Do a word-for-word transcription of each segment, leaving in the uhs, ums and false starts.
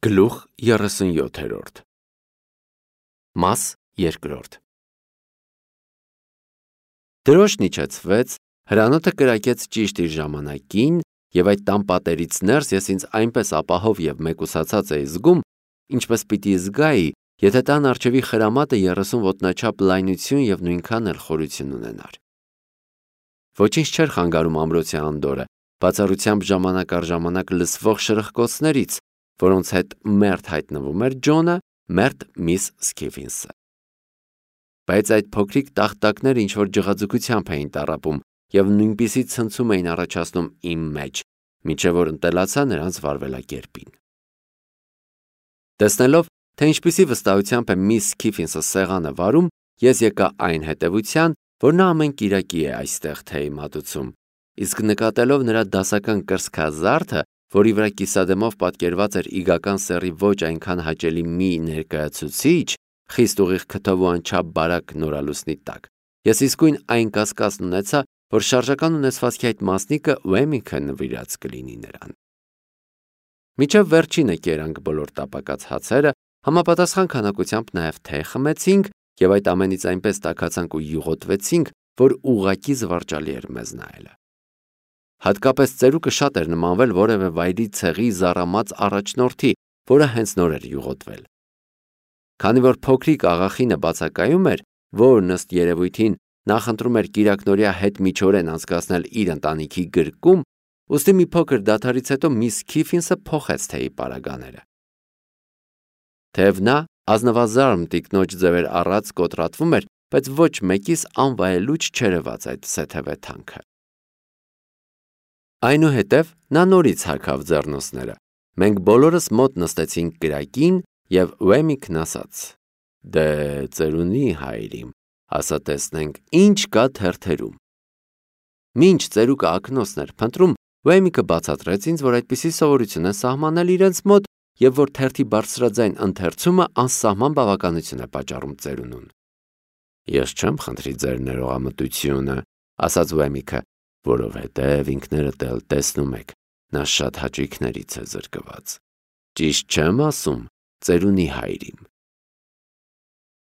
Գլուխ երեսունյոթերորդ Մաս երկրորդ Դրոշն իջեցվեց, հրանոթը կրակեց ճիշտ իր ժամանակին, և այդ տան պատերից ներս ես ինձ այնպես ապահով և մեկուսացած էի զգում, ինչպես պիտի զգայի, եթե տան առջևի խրամատը երեսուն ոտնաչափ լայնություն և նույնքան էլ խորություն ունենար։ Ոչինչ չէր խանգարում ամրոցի անդորրը, բացառությամբ ժամանակ առ ժամանակ լսվող շրխկոցներից, որոնց հետ մերթ հայտնվում էր Ջոնը, մերթ միս Սքիֆինսը։ Բայց այդ փոքրիկ տախտակները ինչ-որ ջղաձգությամբ էին տառապում և նույնպիսի ցնցում էին առաջացնում իմ մեջ, մինչև որ ընտելացա նրանց վարվելակերպին։ Տեսնելով, թե ինչպիսի վստահությամբ է միս Սքիֆինսը սեղանը վարում, ես եկա այն հետևության, որ նա ամեն կիրակի է այստեղ թեյ մատուցում, իսկ նկատելով նրա դասական կրծքազարդը, որի վրա կիսադեմով պատկերված էր իգական սեռի ոչ այնքան հաճելի մի ներկայացուցիչ, խիստ ուղիղ քթով ու անչափ բարակ նորալուսնի տակ, ես իսկույն այն կասկածն ունեցա, որ շարժական ունեցվածքի այդ մասնիկը Ուեմինգը նվիրած կլինի նրան։ Մինչև վերջինը կերանք բոլոր տապակած հացերը, համապատասխան քանակությամբ նաև թեյ խմեցինք և այդ ամենից այնպես տաքացանք ու յուղոտվեցինք, որ ուղղակի զվարճալի էր մեզ նայելը։ Հատկապես ծերուկը շատ էր նմանվել որևէ վայրի ցեղի զառամած առաջնորդի, որը հենց նոր էր յուղոտվել։ Քանի որ փոքրիկ աղախինը բացակայում էր, որն ըստ երևույթին նախընտրում էր կիրակնօրյա հետմիջօրեն անցկացնել իր ընտանիքի գրկում, ուստի մի փոքր դադարից հետո միս Սքիֆինսը փոխեց թեյի պարագաները։ Թեև նա ազնվազարմ տիկնոջ ձևեր առած կոտրատվում էր, բայց ոչ մեկիս անվայելուչ չերևաց այդ սեթևե թանքը։ Այնուհետև նա նորից հագավ ձեռնոցները։ Մենք բոլորս մոտ նստեցինք կրակին, և Ուեմինգն ասաց. «Դե ծերունի հայրիմ, ասա տեսնենք, ինչ կա թերթերում»։ Մինչ ծերուկը ակնոցն էր փնտրում, Ուեմինգը բացատրեց ինձ, որ այդպիսի սովորություն են սահմանել իրենց մոտ, և որ թերթի բարձրաձայն ընթերցումը անսահման բավականություն է պատճառում ծերունուն։ «Ես չեմ խնդրի ձեր ներողամտությունը», ասաց Ուեմինգը, «որովհետև ինքներդ էլ տեսնում եք, նա շատ հաճույքներից է զրկված։ Ճիշտ չեմ ասում, ծերունի հայրիմ»։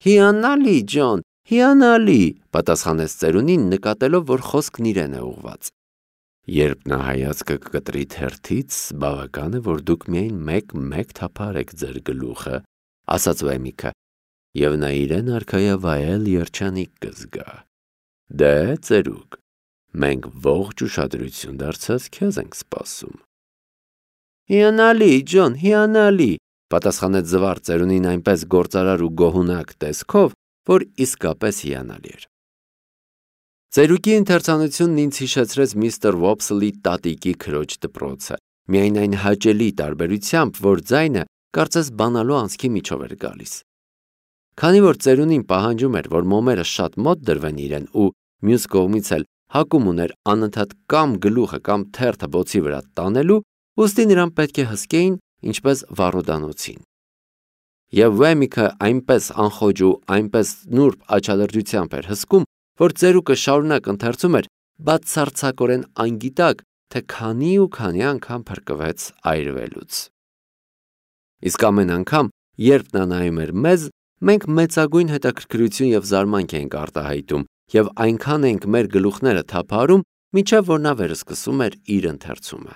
«Հիանալի, Ջոն, հիանալի», պատասխանեց ծերունին, նկատելով, որ խոսքն իրեն է ուղղված։ «Երբ նա հայացքը կկտրի թերթից, բավական է, որ դուք միայն մեկ-մեկ թափահարեք ձեր գլուխը», ասաց Ուեմինգը, «և նա իրեն արքայավայել երջանիկ կզգա։ Դե, ծերուկ, մենք ողջ ուշադրություն դարձած քեզ ենք սպասում»։ «Հիանալի, Ջոն, հիանալի», պատասխանեց զվարթ ծերունին այնպես գործարար ու գոհունակ տեսքով, որ իսկապես հիանալի էր։ Ծերուկի ընթերցանությունն ինձ հիշեցրեց միստր Ոփսլի տատիկի քրոջ դպրոցը, միայն այն հաճելի տարբերությամբ, որ ձայնը կարծես բանալու անցքի միջով էր գալիս։ Քանի որ ծերունին պահանջում էր, որ մոմերը շատ մոտ դրվեն իրեն ու մյուս կողմից էլ հակում ուներ անընդհատ կամ գլուխը կամ թերթը բոցի վրա տանելու, ուստի նրան պետք է հսկեին ինչպես վառոդանոցին։ Եվ Ուեմինգը այնպես անխոճ ու այնպես նուրբ աչալրջությամբ էր հսկում, որ ծերուկը շարունակ ընթերցում էր, բացարձակորեն անգիտակ, թե քանի ու քանի անգամ փրկվեց այրվելուց։ Իսկ ամեն անգամ, երբ նա նայում էր մեզ, մենք մեծագույն հետաքրքրություն և զարմանք էինք արտահայտում և այնքան էինք մեր գլուխները թափահարում, մինչև որ նա վերսկսում էր իր ընթերցումը։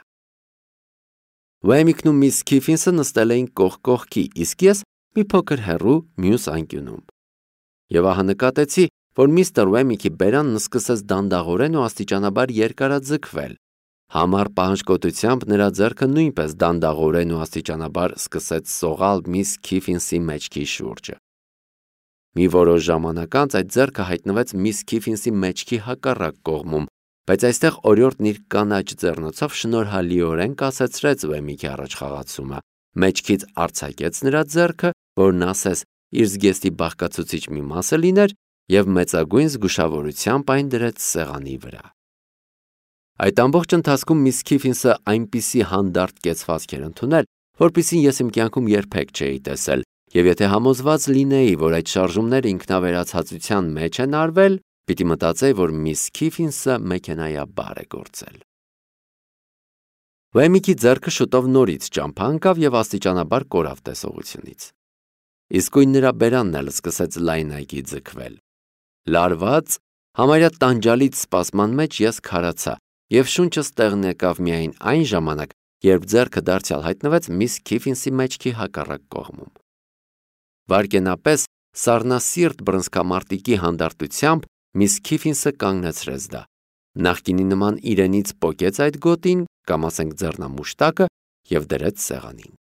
Ուեմինգն ու միս Սքիֆինսը նստել էին կողք կողքի, իսկ ես մի փոքր հեռու մյուս անկյունում։ Եվ ահա նկատեցի, որ միստր Ուեմինգի բերանն սկսեց դանդաղորեն ու աստիճանաբար երկարաձգվել։ Համառ պահանջկոտությամբ նրա ձեռքը նույնպես դանդաղորեն ու աստիճանաբար սկսեց սողալ միս Սքիֆինսի մեջքի շուրջը։ Մի որոշ ժամանակ անց այդ ձեռքը հայտնվեց միս Սքիֆինսի մեջքի հակառակ կողմում, բայց այստեղ օրիորդն իր կանաչ ձեռնոցով շնորհալիորեն կասեցրեց Ուեմինգի առաջխաղացումը, մեջքից արձակեց նրա ձեռքը, որն ասես իր զգեստի բաղկացուցիչ մի մասը լիներ, և մեծագույն զգուշավորությամբ այն դրեց սեղանի վրա։ Այդ ամբողջ ընթացքում միս Սքիֆինսը այնպիսի հանդարտ կեցվածք էր ընդունել, որպիսին ես իմ կյանքում երբեք չէի տեսել, և եթե համոզված լինեի, որ այդ շարժումները ինքնավերացածության մեջ են արվել, պիտի մտածեի, որ միս Սքիֆինսը մեքենայաբար է գործել։ Վայմիկի ձեռքը շուտով նորից ճամփա ընկավ եւ աստիճանաբար կորավ տեսողությունից։ Իսկույն նրա բերանն էլ սկսեց լայնայգի ձգվել։ Լարված, համարյա տանջալից սպասման մեջ ես քարացա եւ շունչս տեղն եկավ միայն այն ժամանակ, երբ ձեռքը դարձյալ հայտնվեց միս Քիֆինսի մեջքի հակառակ կողմում։ Վարկենապես սառնասիրտ բռնցքամարտիկի հանդարտությամբ միս Քիֆինսը կանգնեցրեց դա։ Նախկինի նման իրենից պոկեց այդ գոտին, կամ ասենք ձեռնամուշտակը, եւ դրեց սեղանին։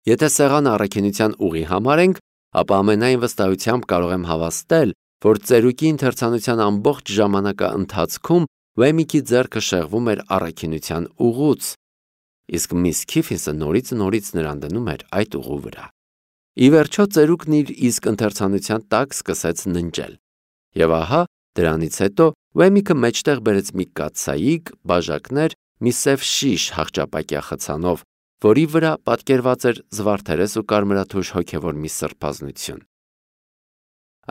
Եթե սեղանը առաքինության ուղի համարենք, ապա ամենայն վստահությամբ կարող եմ հավաստել, որ ծերուկի ընթերցանության ամբողջ ժամանակա ընթացքում Վայմիկի ձեռքը շեղվում էր առաքինության ուղուց, իսկ միս Քիֆինսը նորից նորից նրան դնում էր այդ ուղու վրա։ Ի վերջո ծերուկն իր իսկ ընթերցանության տակ սկսեց ննջել։ Եվ ահա դրանից հետո Վայմիկը մեջտեղ բերեց մի կաթսայիկ, բաժակներ, մի սև շիշ հախճապակյա խցանով, որի վրա պատկերված էր զվարթերես ու կարմրաթուշ հոգևոր մի սրբազնություն։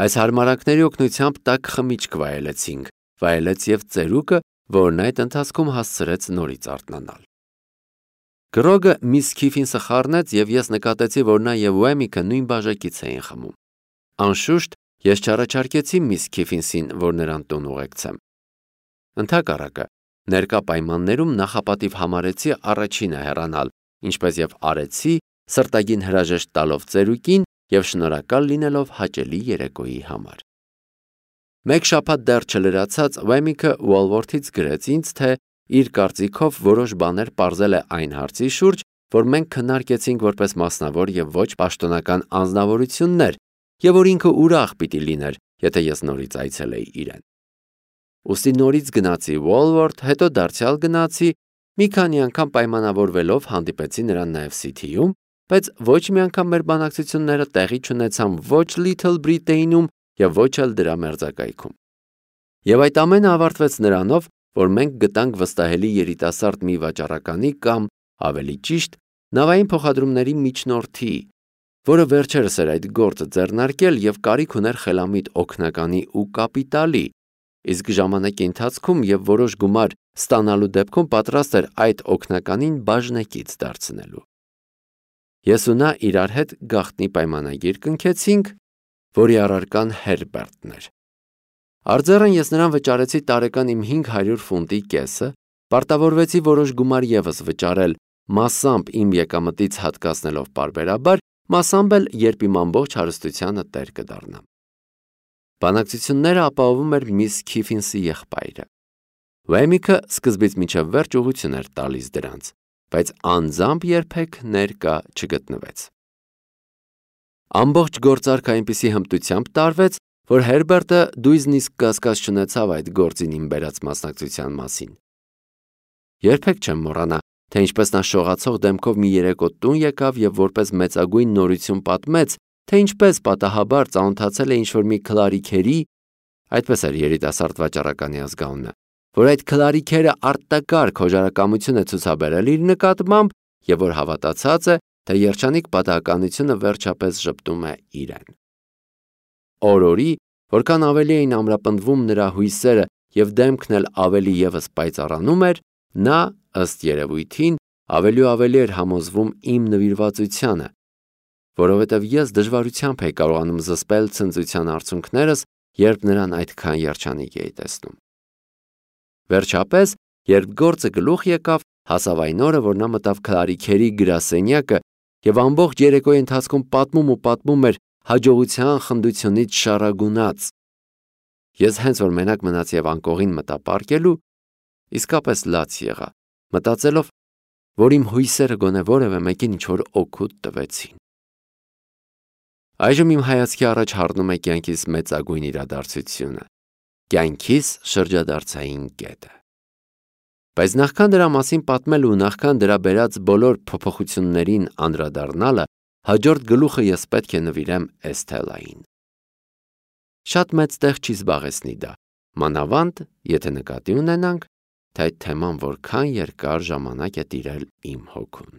Այս հարմարանքների օգնությամբ տաք խմիչք վայելեցինք, վայելեց եւ ծերուկը, որն այդ ընթացքում հասցրեց նորից արթնանալ։ Գրոգը միս Քիֆինսը խառնեց եւ ես նկատեցի, որ նա եւ Վայմիկը նույն բաժակից էին խմում։ Անշուշտ ես չառաջարկեցի միս Քիֆինսին, որ նրան տուն ուղեկցեմ։ Ընդհակառակը, ներկա պայմաններում նախապատիվ համարեցի առաջինը հեռանալ, ինչպես եւ արեցի, սրտագին հրաժեշտ տալով ծերուկին եւ շնորհակալ լինելով հաճելի երեկոյի համար։ Մեկ շաբաթ դեռ չլրացած Վայմիկը Ուոլվորթից գրեց ինձ, թե իր կարծիքով որոշ բաներ պարզել է այն հարցի շուրջ, որ մենք քննարկեցինք որպես մասնավոր եւ ոչ պաշտոնական անձնավորություններ, եւ որ ինքը ուրախ պիտի լիներ, եթե ես նորից այցելեի իրեն։ Ուստի նորից գնացի Ուոլվորթ, հետո դարձյալ գնացի, մի քանի անգամ պայմանավորվելով հանդիպեցի նրան նաեւ Սիթիում, բայց ոչ մի անգամ մեր բանակցությունները տեղի չունեցան ոչ Լիթլ Բրիտեյնում եւ ոչ էլ դրա մերձակայքում։ Եվ այդ ամենը ավարտվեց նրանով, որ մենք գտանք վստահելի երիտասարդ մի վաճառականի կամ, ավելի ճիշտ, նավային փոխադրումների միջնորդի, որը վերջերս էր այդ գործը ձեռնարկել եւ կարիք ուներ խելամիտ օգնականի ու կապիտալի, իսկ ժամանակի ընթացքում եւ որոշ գումար ստանալու դեպքում պատրաստ էր այդ օգնականին բաժնեկից դարձնելու։ Ես ու նա իրար հետ գաղտնի պայմանագիր կնքեցինք, որի առարկան Հերբերտն էր։ Արձեռն ես նրան վճարեցի տարեկան իմ հինգ հարյուր ֆունտի կեսը, պարտավորվեցի որոշ գումար եւս վճարել, մասամբ իմ եկամտից հատկացնելով պարբերաբար, մասամբ էլ երբ իմ ամբողջ հարստությանը տեր կդառնամ։ Բանակցությունները ապահովում էր միս Քիֆինսի եղբայրը։ Վայմիկը սկզբից մինչև վերջ ուղղություն էր տալիս դրանց, բայց անձամբ երբեք ներկա չգտնվեց։ Ամբողջ գործարքը այնպիսի հմտությամբ տարվեց, որ Հերբերտը դույզն իսկ կասկած չունեցավ այդ գործին իմ բերած մասնակցության մասին։ Երբեք չեմ մոռանա, թե ինչպես նա շողացող դեմքով մի երեկո տուն եկավ եւ որպես մեծագույն նորություն պատմեց, թե ինչպես պատահաբար ծանոթացել է ինչ-որ մի քլարիքերի, այդպես էր երիտասարդ վաճառականի ազգանունը, որ այդ քլարիքերը արտակարգ հոժարակամություն է ցուցաբերել իր նկատմամբ եւ որ հավատացած է, թե երջանիկ պատահականությունը վերջապես ժպտում է իրեն։ Օրորի, որքան ավելի էին ամրապնդվում նրա հույսերը եւ դեմքն էլ ավելի եւս պայծառանում էր, նա, ըստ երևույթին, ավելի ու ավելի էր համոզվում իմ նվիրվածությանը, որովհետև ես դժվարությամբ էի կարողանում զսպել ցնծության արցունքներս, երբ նրան այդքան երջանիկ էի տեսնում։ Վերջապես, երբ գործը գլուխ եկավ, հասավ այն օրը, որ նա մտավ քլարիքերի գրասենյակը եւ ամբողջ երեկոյի ընթացքում պատմում ու պատմում էր հաջողության խնդությունից շարագունած։ Ես հենց որ մենակ մնաց եւ անկողին մտա պարկելու, իսկապես լաց եղա, մտածելով, որ իմ հույսերը գոնե որևէ մեկին ինչ-որ օգուտ տվեցին։ Այժմ իմ հայացքի առաջ հառնում է կյանքիս մեծագույն իրադարձությունը, կյանքիս շրջադարձային կետը։ Բայց նախքան դրա մասին պատմել ու նախքան դրա բերած բոլոր փոփոխություններին անդրադառնալը, հաջորդ գլուխը ես պետք է նվիրեմ Էսթելային։ Շատ մեծ տեղ չի զբաղեցնի դա, մանավանդ, եթե նկատի ունենանք, թե այդ թեման որքան երկար ժամանակ է տիրել իմ հոգուն։